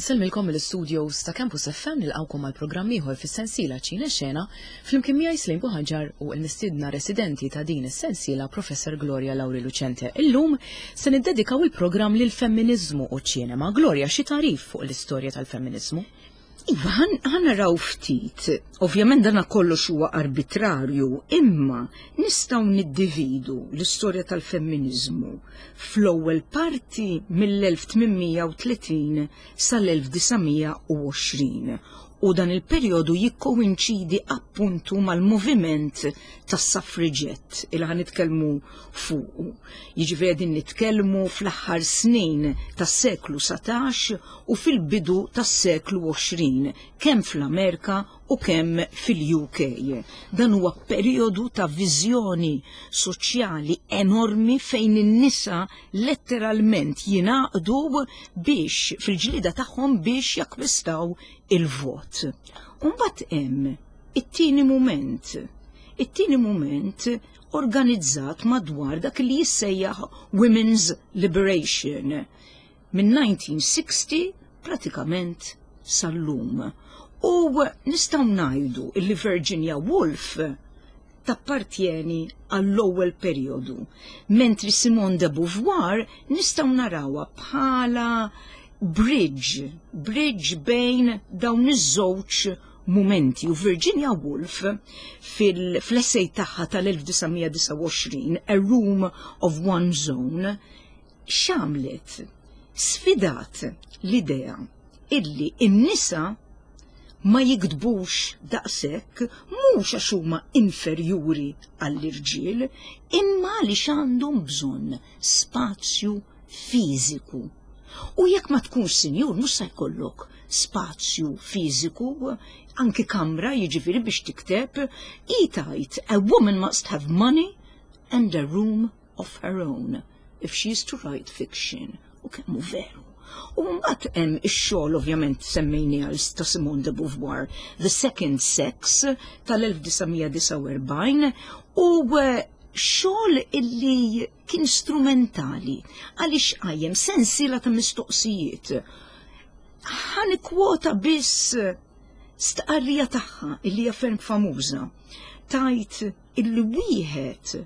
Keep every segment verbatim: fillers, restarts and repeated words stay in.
Insellmilkom mill-studios ta' Campus F M, nilqgħukom għal programm ieħor fis-sensiela Ċine Xena flimkien miegħi Slejn Buħaġar u l-mistiedna residenti ta' din is-sensiela, Professor Gloria Lauri Lucente. Illum se niddedikaw il-programm lil femminizmu u ċinema. Gloria, xi tagħrif fuq l-istorja tal-femminizmu? Iva, ħa naraw ftit. Ovvjament dana kollox huwa arbitrarju, imma nistgħu niddividu l-istorja tal-femminizmu fl-ewwel parti mill-elf tmien mija u tletin sal-elf disa' mija u għoxrin u dan il-perjodu jikkoinċidi appuntu mal-moviment tas-suffragette il ħa nitkellmu fuqu. Jiġifieri qegħdin nitkellmu fl-aħħar snin tas-seklu satax u fil-bidu tas-seklu għoxrin, kemm fl-Amerika u kemm fil-U K. Dan huwa perjodu ta' viżjoni soċjali enormi fejn in-nisa letteralment jingħaqdu biex fil-ġlida tagħhom biex jakkwistaw il-vot. Umbagħad hemm it-tieni moment. It-tieni moment organizzat madwar dak li jissejjaħ Women's Liberation minn elf disa' mija u sittin pratikament sal-lum. U nistgħu ngħidu illi Virginia Woolf tappartjeni għall-ewwel perjodu, mentri Simone de Beauvoir nistgħu narawha bħala bridge, bridge bejn dawn iż-żewġ momenti. U Virginia Woolf fil-essay tagħha tal-elf disa' mija disgħa u għoxrin, A Room of One's Own, x'għamlet? Sfidat l-idea illi in-nisa ma jiktbux daqshekk mhux għax huma inferjuri għall-irġiel, imma għaliex għandhom bżonn spazju fiżiku. U jekk ma tkunx sinjur, mhux se jkollok spazju fiżiku, anki kamra jiġifieri biex tikteb. Tgħid, "A woman must have money and a room of her own if she is to write fiction." U kemm hu veru. U mbagħad hemm ix-xogħol, ovvjament semmejni għal ta' Simone de Beauvoir, The Second Sex tal-elf disa' mija disgħa u erbgħin, u eh, xogħol illi kien strumentali għaliex qajjem sensiela ta' mistoqsijiet. Ħa nikkwota biss stqarrija tagħha illi hija ferm famuża. Tgħid illi wieħed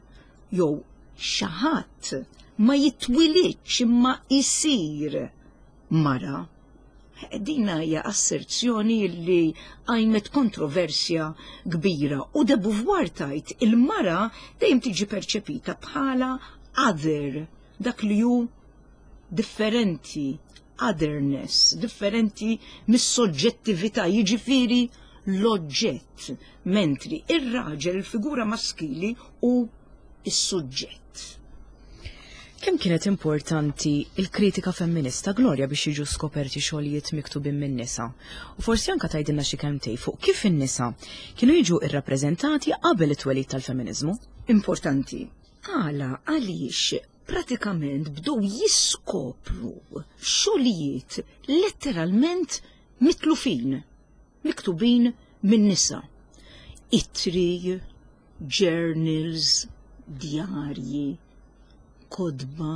jew xi ħadd ma jitwilidx imma isir mara. Din hija asserzjoni li qajmet kontroversja kbira u de Beauvoir tgħid il-mara dejjem tiġi perċepita bħala other, dak li hu differenti, otherness, differenti mis-soġġettività, jiġifieri l-oġġett, mentri ir-raġel, il-figura maskili, hu is-suġġett. Kemm kienet importanti il-kritika femminista, Gloria, biex jiġu skoperti xogħlijiet miktubin minn nisa? U forsi anka tgħidilna xi kelmtejn fuq kif in-nisa kienu jiġu irrappreżentati qabel it-twelid tal-feminiżmu? Importanti. Għala, għaliex pratikament bdew jiskopru xogħlijiet letteralment mitlufin, miktubin minn nisa. Ittri, journals, djarji, kotba,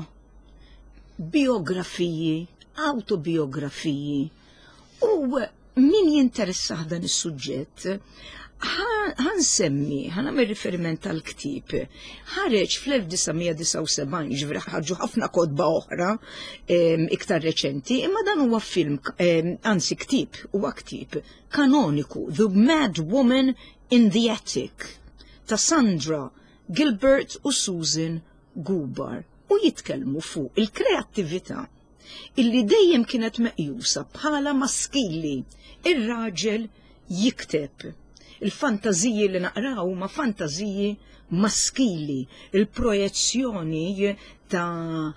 biografiji, autobiografiji. U min jinteressah dan is-suġġett, ħa nsemmi, ħa nagħmel riferiment tal-ktieb. Ħareġ fl-elf disa' mija disgħa u sebgħin, ġifieri ħarġu ħafna kotba oħra iktar reċenti, imma dan huwa film, anzi ktieb, huwa ktieb kanoniku, The Mad Woman in the Attic, ta' Sandra Gilbert u Susan Gubar, u jitkellmu fuq il-kreattività illi dejjem kienet meqjusa bħala maskili. Ir-raġel jikteb. Il-fantaziji li naqraw ma fantaziji maskili, il-projezzjoni ta'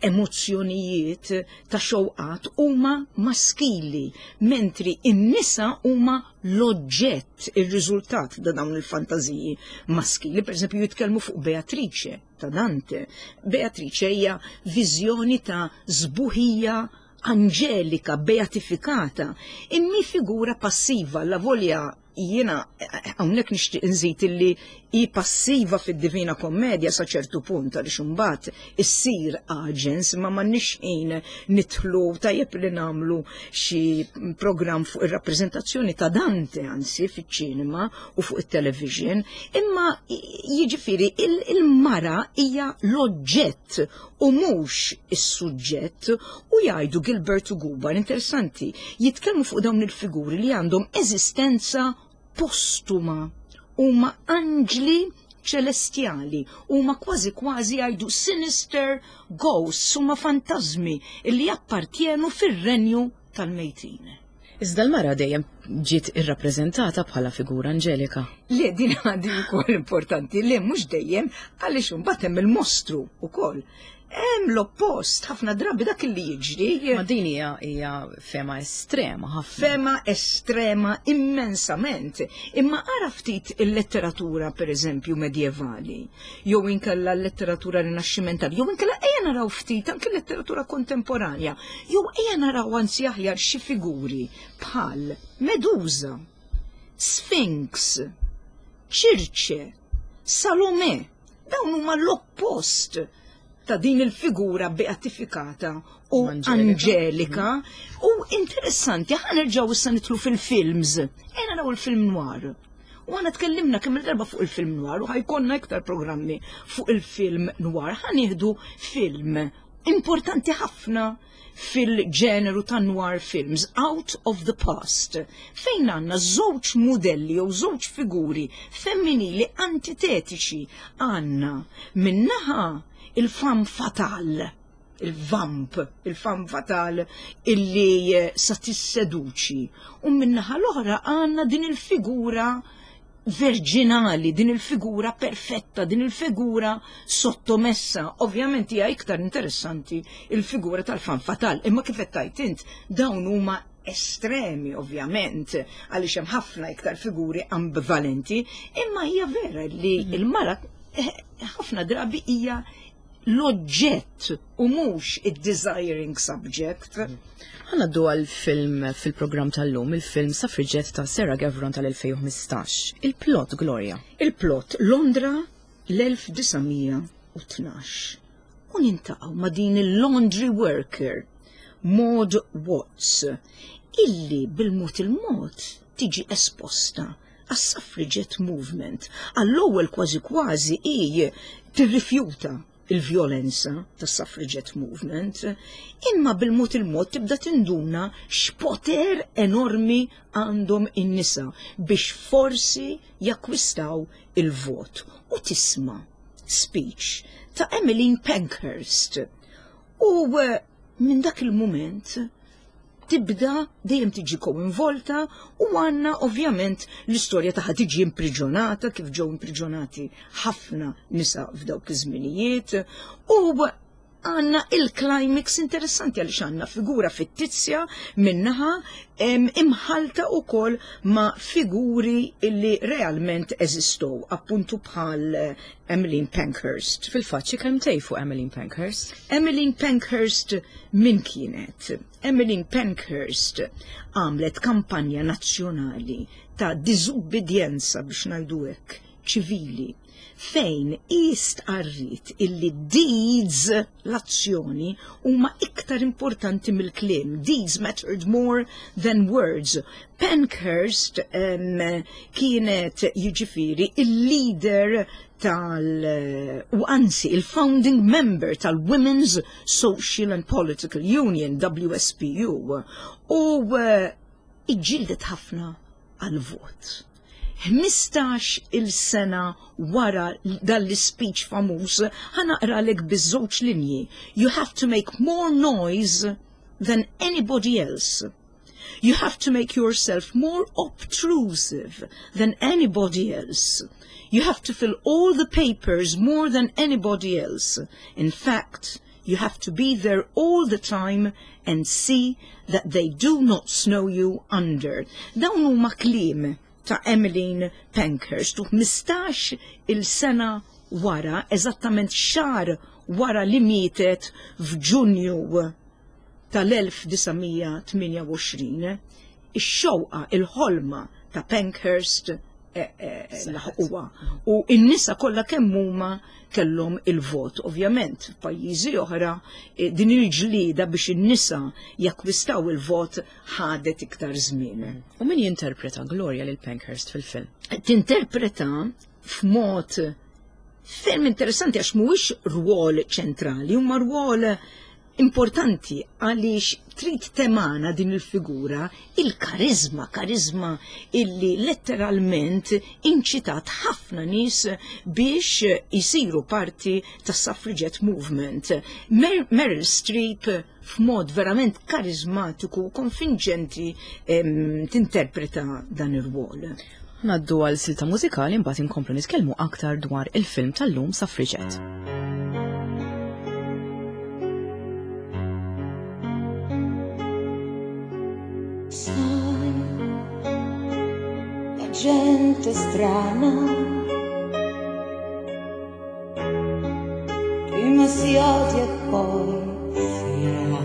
emozzjonijiet, ta' xewqat huma maskili, mentri in-nisa huma l-oġġett, ir-riżultat ta' dawn il-fantaziji maskili. Per eżempju, jitkellmu fuq Beatrice ta' Dante. Beatrice hija viżjoni ta' sbuħija angelika, beatifikata, imma figura passiva, la volja Jiena hawnhekk nixtieq nżid illi hi passiva fid-Divina Kommedja sa ċertu punt, għaliex imbagħad issir agens, ma m'għandniex ħin nidħlu. Tajjeb li nagħmlu xi programm fuq ir-rappreżentazzjoni ta' Dante, anzi fiċ-ċinema u fuq it-television, imma jiġifieri il-mara hija l-oġġett u mhux is-suġġett. U jgħidu Gilbert u Gubar, interessanti, jitkellmu fuq dawn il-figuri li għandhom eżistenza postuma, huma anġli ċelestjali, huma kważi kważi jgħidu sinister ghosts, huma fantasmi illi jappartjenu fir-renju tal-mejtin. Iżda l-mara dejjem ġiet irrappreżentata bħala figura anġelika. Le, din għadi wkoll importanti, le, mhux dejjem, għaliex imbagħad hemm il-mostru wkoll. Hemm l-oppost, ħafna drabi dak li jiġri. Ma din hija hija fema estrema ħafna. Fema estrema immensament. Imma ara ftit il-letteratura, per eżempju, medjevali, jew inkella l-letteratura rinaxximentali, jew inkella ejja naraw ftit anke l-letteratura kontemporanja, jew ejja naraw anzi aħjar xi figuri bħal Medusa, Sphinx, Ċirċe, Salome. Dawn huma l-oppost ta' din il-figura beatifikata u angelika. U interessanti, ħa nerġgħu issa nidħlu fil-films. Ejja naraw il-film noir. U aħna tkellimna kemm il-darba fuq il-film noir u ħa jkollna iktar programmi fuq il-film noir. Ħa nieħdu film importanti ħafna fil-ġeneru ta' noir films, Out of the Past, fejn għandna żewġ modelli jew żewġ figuri femminili antitetiċi. Għandna min-naħa il-femme fatale, il-vamp, il-femme fatale illi eh, sa tisseduċi. U min-naħa l-oħra għandna din il-figura verġinali, din il-figura perfetta, din il-figura sottomessa. Ovvjament hija iktar interessanti il-figura tal-femme fatale, imma kif qed int, dawn huma estremi ovvjament, għaliex hemm ħafna iktar figuri ambivalenti, imma hija vera li mhm. il-mara eh, ħafna drabi hija l-oġġett u mhux id-desiring subject. Ħa ngħaddu għal-film fil-programm tal-lum, il-film Suffragette ta' Sarah Gavron tal-elfejn u ħmistax. Il-plot, Gloria. Il-plot, Londra l-elf disa' mija u tnax. U niltaqgħu ma' din il-laundry worker, Maud Watts, illi bil-mod il-mod tiġi esposta għas-suffragette movement. Għall-ewwel kważi kważi i tirrifjuta il-vjolenza tas suffragette movement, imma bil-mod il-mod tibda tinduna x'poter enormi għandhom in-nisa biex forsi jakkwistaw il-vot. U tisma' speech ta' Emmeline Pankhurst. U eh, minn dak il-moment tibda dejjem tiġi koinvolta u għandna ovvjament l-istorja tagħha, tiġi impriġonata kif ġew impriġonati ħafna nisa f'dawk iż-żminijiet, u għandna il-climax interessanti għaliex għandna figura fittizja min-naħa imħalta u koll ma' figuri illi realment eżistow, appuntu bħal eh, Emmeline Pankhurst. Fil-fatt, xi kelmtejn fuq Emmeline Pankhurst? Emmeline Pankhurst min kienet? Emmeline Pankhurst għamlet kampanja nazzjonali ta' diżubbidjenza, biex ngħidu hekk, ċivili, fejn istqarrit illi deeds, l-azzjoni, huma iktar importanti mill-kliem. Deeds mattered more than words. Pankhurst um, kienet jiġifieri il-leader tal u anzi il-founding member tal-Women's Social and Political Union, W S P U, u uh, iġġieldet ħafna għal-vot. ħmistax il-sena wara dal-speech famuż, ħa naqralek biż-żewġ linji. "You have to make more noise than anybody else. You have to make yourself more obtrusive than anybody else. You have to fill all the papers more than anybody else. In fact, you have to be there all the time and see that they do not snow you under." Dawn huma kliem ta' Emmeline Pankhurst u ħmistax il-sena wara, eżattament xahar wara li mietet f'Ġunju tal-elf disa' mija tmienja u għoxrin, ix-xewqa, il-ħolma ta' Pankhurst eh, eh, laħquha. U n-nisa kollha kemm huma kellhom il-vot. Ovvjament, f'pajjiżi oħra eh, din il-ġlida biex in-nisa jakkwistaw il-vot ħadet iktar żmien. U min jinterpreta Gloria lil Pankhurst fil-film? Tinterpreta f'mod ferm interessanti għax mhuwiex rwol ċentrali, huma rwol importanti għaliex trid temana din il-figura il-karizma, karizma illi letteralment inċitat ħafna nies biex jisiru parti tas suffragette movement. Mer Meryl Streep f'mod verament karizmatiku u konvinċenti em, tinterpreta dan ir-rwol. Ngħaddu għal silta mużikali, mbagħad inkomplu nitkellmu aktar dwar il-film tal-lum, Suffragette. Sai, la gente strana prima si odia e poi si ama.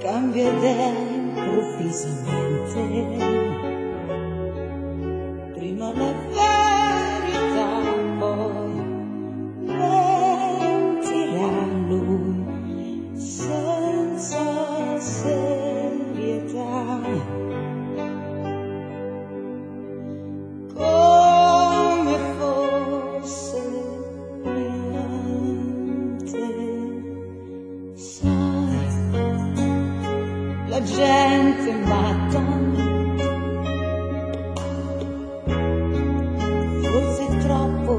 Cambia idea improvvisamente. Prima la verità, poi mentirà lui senza serietà. Come fosse niente, sai, la gente matta, forse troppo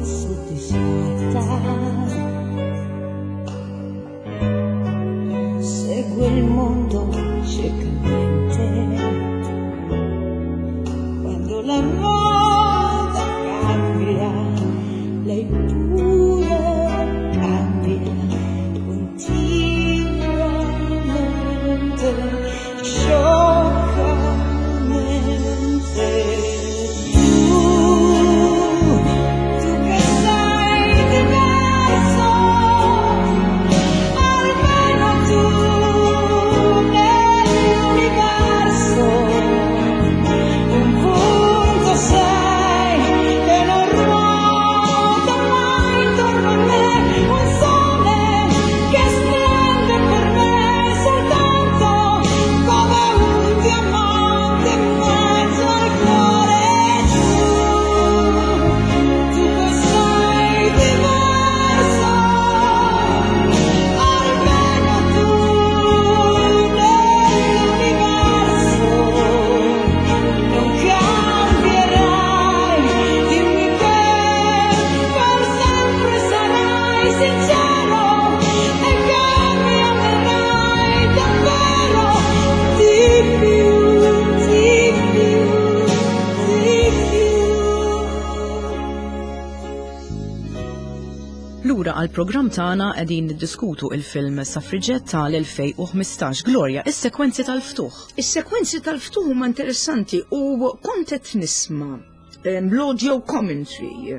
soddisfatta, segue il mondo ciecamente. Quando la moda cambia, lei pure cambia continuamente, scioccamente. Tu, tu che sei diverso, almeno tu nell'universo, un punto sei che non ruota mai intorno a me, un sole che splende per me soltanto come un diamante in mezzo al cuore. Tu, tu che sei diverso, almeno tu nell'universo non cambierai. Dimmi che per sempre sarai sincero e che mi amerai davvero di più, di più, di più. Lura għal programm tagħna, qegħdin niddiskutu il-film Suffragette tal-elfejn u ħmistax. Gloria, is-sekwenzi tal-ftuħ. Is-sekwenzi tal-ftuħ huma interessanti u kont qed nisma' em, l-audio commentary.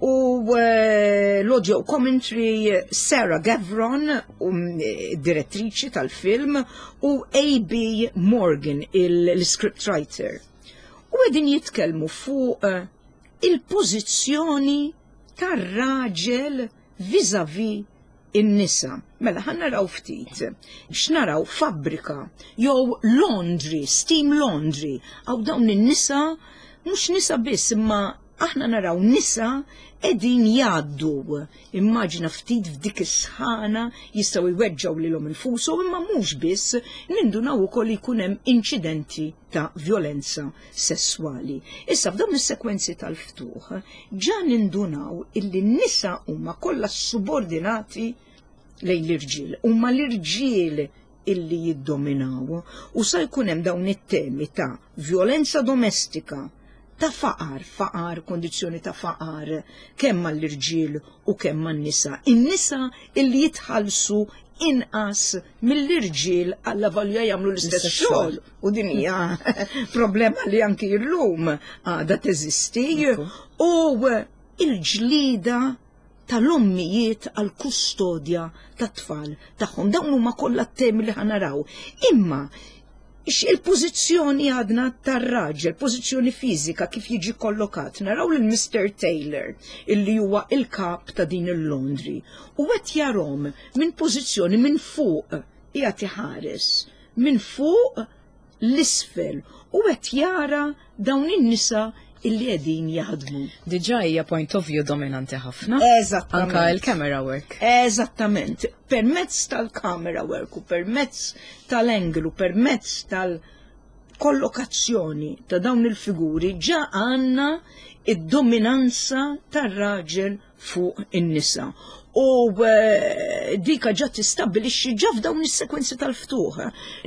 U eh, l-audio commentary, Sarah Gavron, um, eh, direttriċi tal-film, u A B. Morgan, il-scriptwriter. U qegħdin jitkellmu fuq eh, il-pożizzjoni tar-raġel vis-a-vis in-nisa. Mela, ħa naraw ftit. X'naraw? Fabbrika jew laundry, steam laundry. Għaw dawn in-nisa, mhux nisa biss, imma aħna naraw nisa qegħdin jgħaddu. Immaġina ftit f'dik is-sħana jistgħu jweġġgħu lilhom infushom, imma mhux biss, nindunaw ukoll jkun hemm inċidenti ta' violenza sessuali. Issa f'dawn is-sekwenzi tal-ftuħ ġa nindunaw illi n-nisa huma kollha subordinati lejn l-irġiel, huma l-irġiel illi jiddominaw u sa jkun hemm dawn it-temi ta' violenza domestika, ta' faqar, faqar, kondizzjoni ta' faqar, kemm mal-irġiel u kemm man-nisa. In-nisa illi jitħallsu inqas mill-irġiel għalla valja jagħmlu l-istess l-istess xogħol. U din hija problema li anki llum għadha teżisti. Ekku. U il-ġlida tal-ommijiet għal kustodja tat-tfal tagħhom. Dawn huma kollha temi li ħa naraw. Imma il-pożizzjoni għadna tar-raġel, pożizzjoni fiżika kif jiġi kollokat, naraw lil Mister Taylor illi huwa il-kap ta' din il-laundry u qed jarahom minn pożizzjoni minn fuq, qiegħed iħares minn fuq 'l isfel u qed jara dawn in-nisa illi qegħdin jaħdmu. Diġà hija point of view dominanti ħafna. Eżattament. Anka il-camera work. Eżattament. Permezz tal-camera work u permezz tal-angle u permezz tal-kollokazzjoni ta' dawn il-figuri ġa għandna id-dominanza tar-raġel fuq in-nisa. U eh, dika ġa tistabbilixxi ġa f'dawn is-sekwenzi tal-ftuħ.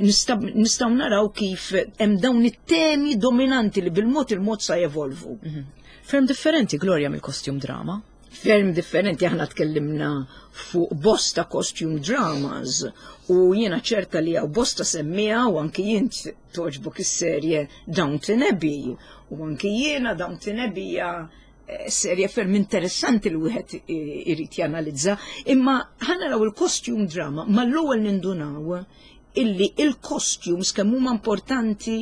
Nistgħu naraw kif hemm dawn it-temi dominanti li bil-mod il-mod sa jevolvu. Mhm. Ferm differenti, Gloria, mill-costume drama. Ferm differenti. Aħna tkellimna fuq bosta costume dramas u jiena ċerta li hawn bosta semmiegħa u anki jien togħġbok is-serje Downton Abbey u anki jiena Downton Abbey hija eh, serje ferm interessanti li wieħed irid janalizza, imma ħa naraw il-costume drama, mal-ewwel nindunaw illi il-costumes kemm huma importanti,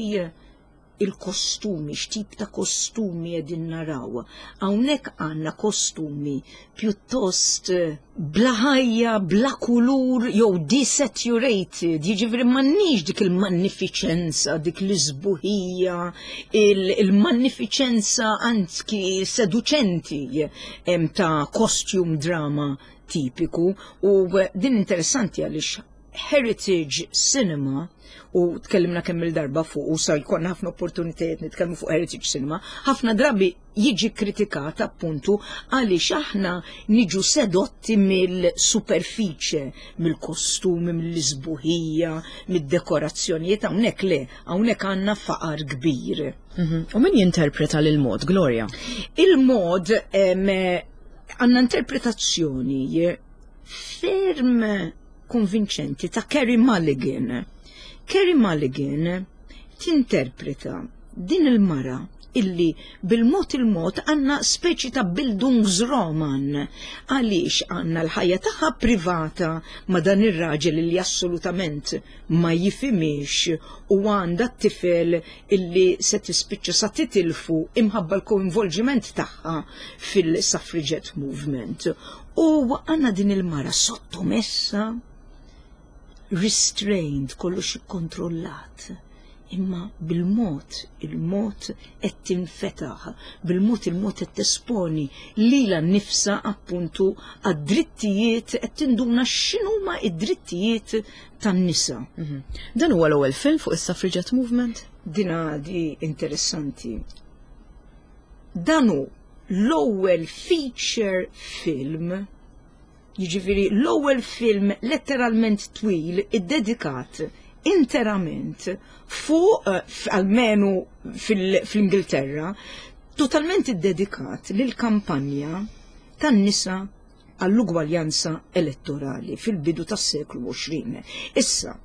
il-kostumi, x'tip ta' kostumi qegħdin naraw. Hawnhekk għandna kostumi pjuttost eh, bla ħajja, bla kulur, jew desaturated, jiġifieri m'għandniex dik il-magnifiċenza, dik l-isbuħija, il-magnifiċenza anki seduċenti ta' costume drama tipiku. U din interessanti għaliex heritage cinema, u tkellimna kemm il-darba fuq u sa jkollna ħafna opportunitajiet nitkellmu fuq heritage cinema, ħafna drabi jiġi kritikat appuntu għaliex aħna niġu sedotti mill-superfiċe, mill-kostumi, mill-isbuħija, mid-dekorazzjonijiet. Hawnhekk le, hawnhekk għandna faqar kbir. Mhm. U min jinterpreta lil Maud, Gloria? Il-Maud għandna interpretazzjoni ferm konvinċenti ta' Carey Mulligan. Carey Mulligan tinterpreta din il-mara illi bil-mod il-mod għandna speċi ta' Bildungsroman, għaliex għandna l-ħajja tagħha privata ma' dan ir-raġel illi assolutament ma jifhimhiex u għandha t-tifel illi se tispiċċa sa titilfu imħabba l-koinvolġiment tagħha fil-suffragette movement. U għandna din il-mara sottomessa, restrained, kollox ikkontrollat. Imma bil-mod, il-mod qed tinfetaħ, bil-mod il-mod qed tesponi lilha nnifisha appuntu għad-drittijiet, qed tinduna x'inhuma id-drittijiet tan-nisa. Mhm. Dan huwa l-ewwel film fuq is-suffragette movement? Dina di interessanti. Dan hu l-ewwel feature film, jiġifieri l-ewwel film letteralment twil iddedikat interament fuq, eh, almenu fil-Ingilterra, totalment iddedikat lil kampanja tan-nisa għall-ugwaljanza elettorali fil-bidu tas-seklu għoxrin. Issa,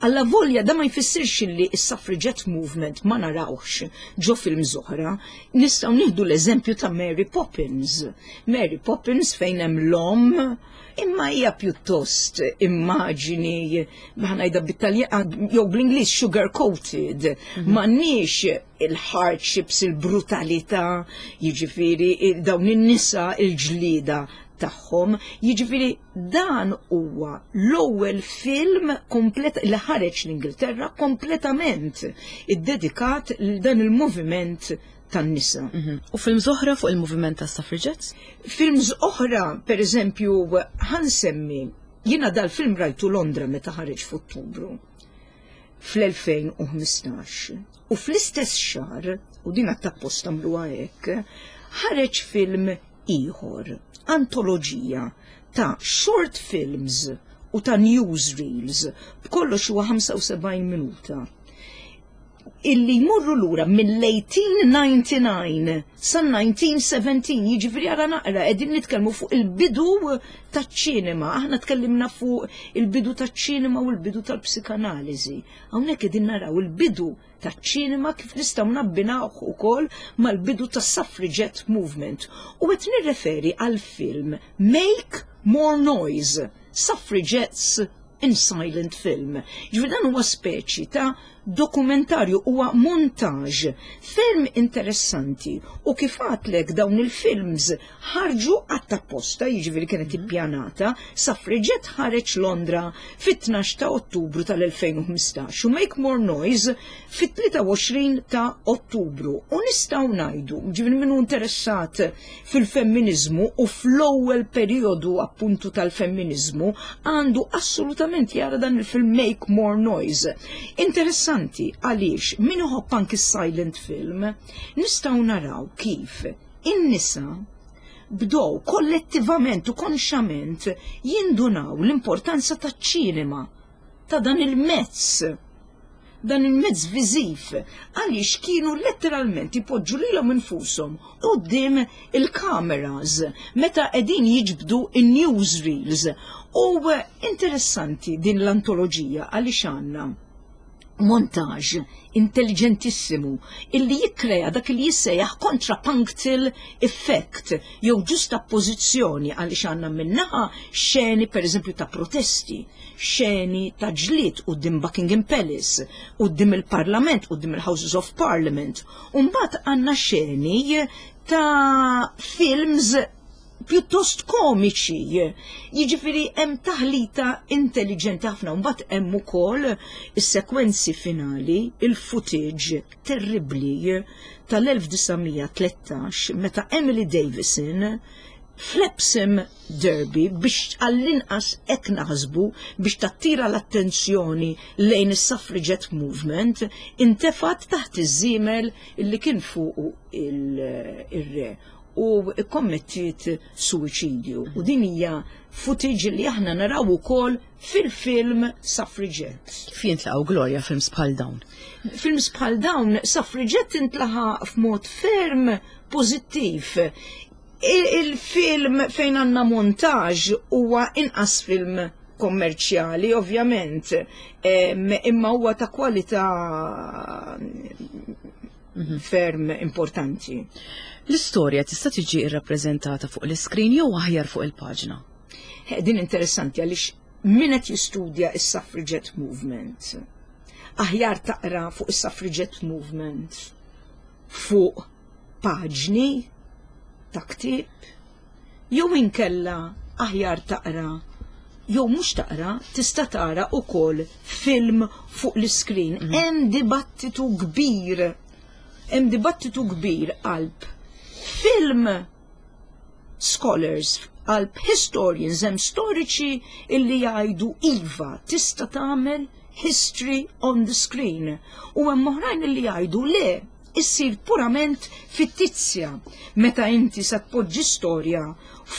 alla volja da ma jfissirx li s-suffragette movement ma narawx ġo film oħra, nistgħu nieħdu l-eżempju ta' Mary Poppins. Mary Poppins fejn hemm l-omm, imma hija pjuttost immaġini, ħa ngħidha bit-Taljan jew bl-Ingliż, sugar coated, mhm. m'għandniex il-hardships, il-brutalità, jiġifieri dawn in-nisa, il-ġlida tagħhom. Jiġifieri dan huwa l-ewwel film komplet li ħareġ l-Ingilterra kompletament iddedikat lil dan il-moviment tan-nisa. Mhm. U films oħra fuq il-moviment tas suffragettes? Films oħra, per eżempju, ħa nsemmi, jiena dal-film rajtu Londra meta ħareġ f'Ottubru fl-elfejn u ħmistax. U fl-istess xahar, u din apposta għamluha hekk, ħareġ film ieħor, antoloġija ta' short films u ta' newsreels, b'kollox huwa ħamsa u sebgħin minuta. Illi jmorru lura mill-elf disa' mija u disgħa u disgħin sa elf disa' mija u sbatax, jiġifieri ara naqra, qegħdin nitkellmu fuq il-bidu taċ-ċinema. Aħna tkellimna fuq il-bidu taċ-ċinema u l-bidu tal-psikanaliżi. Hawnhekk qegħdin naraw il-bidu taċ-ċinema kif nistgħu nabbinawh ukoll mal-bidu tas-suffragette movement. U qed nirreferi għal film Make More Noise, Suffragettes in Silent Film. Ġifieri dan huwa speċi ta' dokumentarju, huwa montage ferm interessanti, u kif għedtlek, dawn il-films ħarġu għatt-apposta, jiġifieri kienet ippjanata. Suffragette ħareġ Londra fit-tnax ta' Ottubru tal-elfejn u ħmistax u Make More Noise fit-tlieta u għoxrin ta' Ottubru. U nistgħu ngħidu, ġifieri minnu interessat fil-femminizmu u fl-ewwel periodu appuntu tal-femminizmu għandu assolutament jara dan il-film Make More Noise. Interessanti għaliex min iħobb anki silent film, nistgħu naraw kif in-nisa bdow kollettivament u konxament jindunaw l-importanza taċ-ċinema, ta' dan il-mezz dan il-mezz viżiv, għaliex kienu letteralment ipoġġu lilhom infushom quddiem il-kameras meta qegħdin jiġbdu in-newsreels. U interessanti din l-antoloġija għaliex għandna montage intelligentissimu illi jikkrea dak li jissejjaħ contrapunctal effect jew ġustappożizzjoni, għaliex għandna min-naħa xeni, per eżempju, ta' protesti, xeni ta' ġlied quddiem Buckingham Palace, quddiem il-Parlament, quddiem il-Houses of Parliament, u mbagħad għandna xeni ta' films pjuttost komiċi. Jiġifieri hemm taħlita intelligenti ħafna, mbagħad hemm ukoll is-sekwenzi finali, il-footage terribbli tal-elf disa' mija u tlettax meta Emily Davison fl-Epsom Derby, biex għall-inqas hekk naħsbu biex tattira l-attenzjoni lejn is-suffragette movement, intefat taħt iż-żiemel illi kien fuq il-re u kommettiet suwiċidju. U din hija footage li aħna naraw ukoll fil-film Suffragette. Kif jintlaqgħu, Gloria, films bħal dawn? Films bħal dawn, Suffragette intlaqa' f'mod ferm pożittiv. Il-film fejn għandna montage huwa inqas film kommerċjali, ovvjament, imma huwa ta' kwalità ferm importanti. L-istorja tista' tiġi irrappreżentata fuq l-iskrin jew aħjar fuq il-paġna? Din interessanti għaliex min qed jistudja is-suffragette movement, aħjar taqra fuq is-suffragette movement fuq paġni ta' ktieb jew inkella aħjar taqra, jew mhux taqra, tista' tara ukoll film fuq l-iskrin. Mm. Hemm dibattitu kbir. Hemm dibattitu kbir qalb film scholars, qalb historians. Hemm storiċi illi jgħidu iva, tista' tagħmel history on the screen. U hemm oħrajn illi jgħidu le, issir purament fittizja meta inti sa tpoġġi storja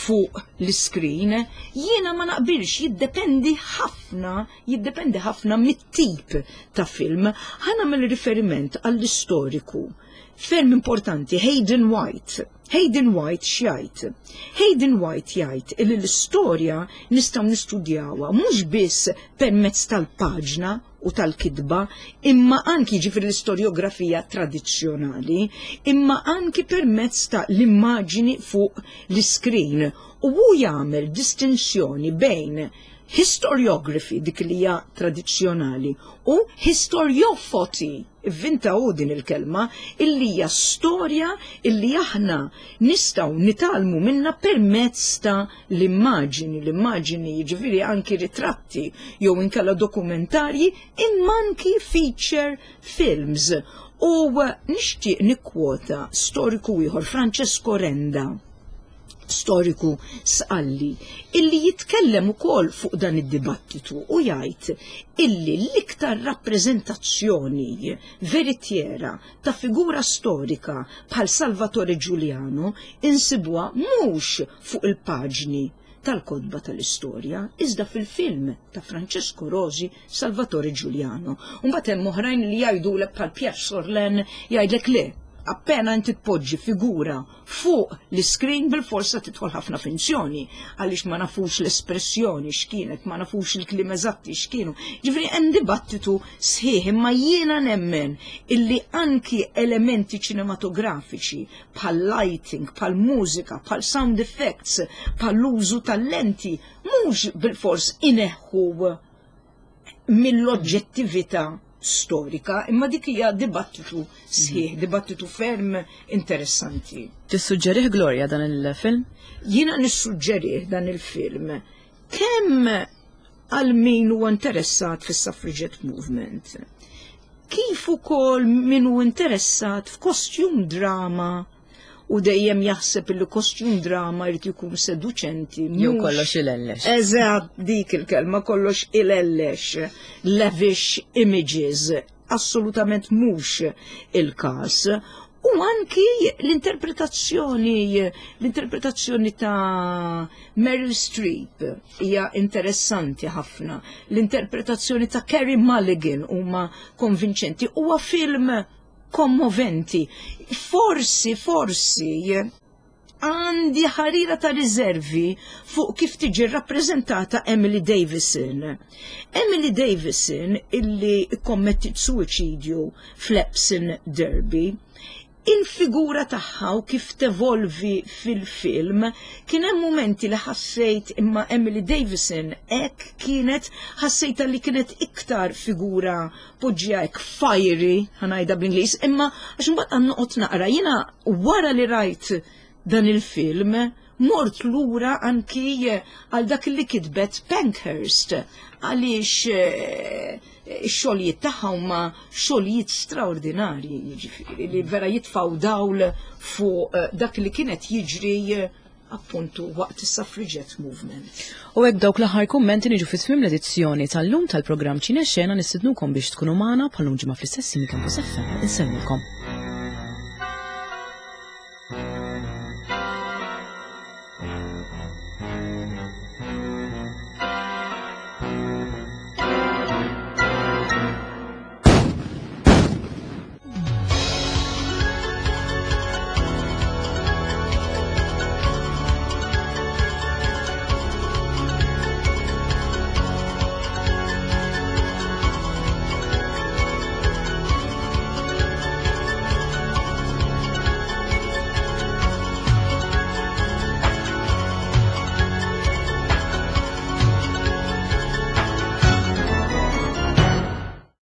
fuq l-screen. Jiena ma naqbilx, jiddependi ħafna, jiddependi ħafna mit-tip ta' film. Ħa nagħmel riferiment għall-istoriku ferm importanti Hayden White. Hayden White x'jgħid? Hayden White jgħid illi l-istorja nistgħu nistudjawha mhux biss permezz tal-paġna u tal-kitba, imma anki, ġifieri l-istoriografija tradizzjonali, imma anki permezz ta' l-immaġini fuq l-iskrin. U hu jagħmel distinzjoni bejn historiography, dik li hija tradizzjonali, u historiophoty, ivvinta hu din il-kelma, illi hija storja illi aħna nistgħu nitgħallmu minna permezz ta' l-immaġini, l-immaġini jiġifieri anki ritratti jew inkella dokumentarji, imma anki feature films. U nixtieq nikkwota storiku ieħor, Francesco Renda, storiku Sqalli, illi jitkellem ukoll fuq dan id-dibattitu u jgħid illi l-iktar rappreżentazzjoni veritiera ta' figura storika bħal Salvatore Giuliano insibuha mhux fuq il-paġni tal-kotba tal-istorja, iżda fil-film ta' Francesco Rosi, Salvatore Giuliano. Mbagħad hemm oħrajn li jgħidulek bħal Pierre Sorlin jgħidlek le, appena inti tpoġġi figura fuq l-screen bil-forsa tidħol ħafna finzjoni, għaliex ma nafux l-espressjoni x'kienet, ma nafux il-kliem eżatti x'kienu. Ġifieri hemm dibattitu sħiħ, imma jiena nemmen illi anki elementi ċinematografiċi bħal lighting, bħal mużika, bħal sound effects, bħal użu tal-lenti, mhux bil-fors ineħħu mill-oġġettività storika, imma dik hija dibattitu sħiħ, dibattitu ferm interessanti. Tissuġġerih, Gloria, dan il-film? Jiena nissuġġerih dan il-film kemm għal min huwa interessat fis-suffragette movement, kif ukoll min hu interessat f'costume drama u dejjem jaħseb li costume drama jrid ikun seduċenti. Jew kollox ilellex. Eżatt, dik il-kelma, kollox ilellex, lavish images, assolutament mhux il-każ. U anki l-interpretazzjoni, l-interpretazzjoni ta' Meryl Streep hija interessanti ħafna. L-interpretazzjoni ta' Carey Mulligan huma konvinċenti. Huwa film kommoventi. Forsi, forsi, għandi ħarira ta' riservi fuq kif tiġi rappreżentata Emily Davison. Emily Davison illi kommettit suwiċidju fl-Epsom Derby, il-figura tagħha u kif tevolvi fil-film, kien hemm momenti li ħassejt imma Emily Davison hekk kienet, ħassejta li kienet iktar figura poġġija hekk fiery, ħa ngħidha bl-Ingliż, imma għax imbagħad għan noqgħod naqra, jiena wara li rajt dan il-film mort lura anki għal dak li kitbet Pankhurst, għaliex eh, ix-xogħlijiet tagħha huma xogħlijiet straordinarji, jiġifieri li vera jitfgħu dawl fuq eh, dak li kienet jiġri eh, appuntu waqt is-suffragette movement. U hekk dawk l-aħħar kummenti niġu fi tmiem l-edizzjoni tal-lum tal-programm Ċinexxena. Nistednukom biex tkunu magħna bħal ġimgħa fl-istess Campus F M. Insellmilkom.